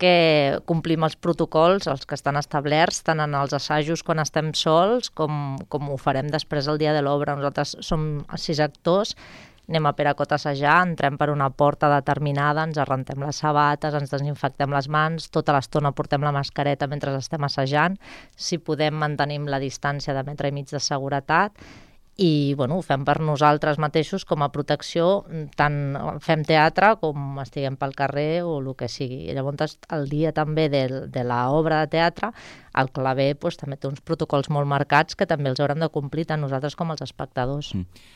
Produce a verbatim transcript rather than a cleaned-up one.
que complim els protocols, els que estan establerts, tant en els assajos quan estem sols com, com ho farem després el dia de l'obra. Nosaltres som sis actors, anem a Peracot a assajar, entrem per una porta determinada, ens arrentem les sabates, ens desinfectem les mans, tota l'estona portem la mascareta mentre estem assajant, si podem mantenim la distància de metre i mig de seguretat i bueno, ho fem per nosaltres mateixos com a protecció, tant fem teatre com estiguem pel carrer o el que sigui. I llavors el dia també de, de l'obra de teatre, el claver pues, també té uns protocols molt marcats que també els haurem de complir tant nosaltres com els espectadors. Mm.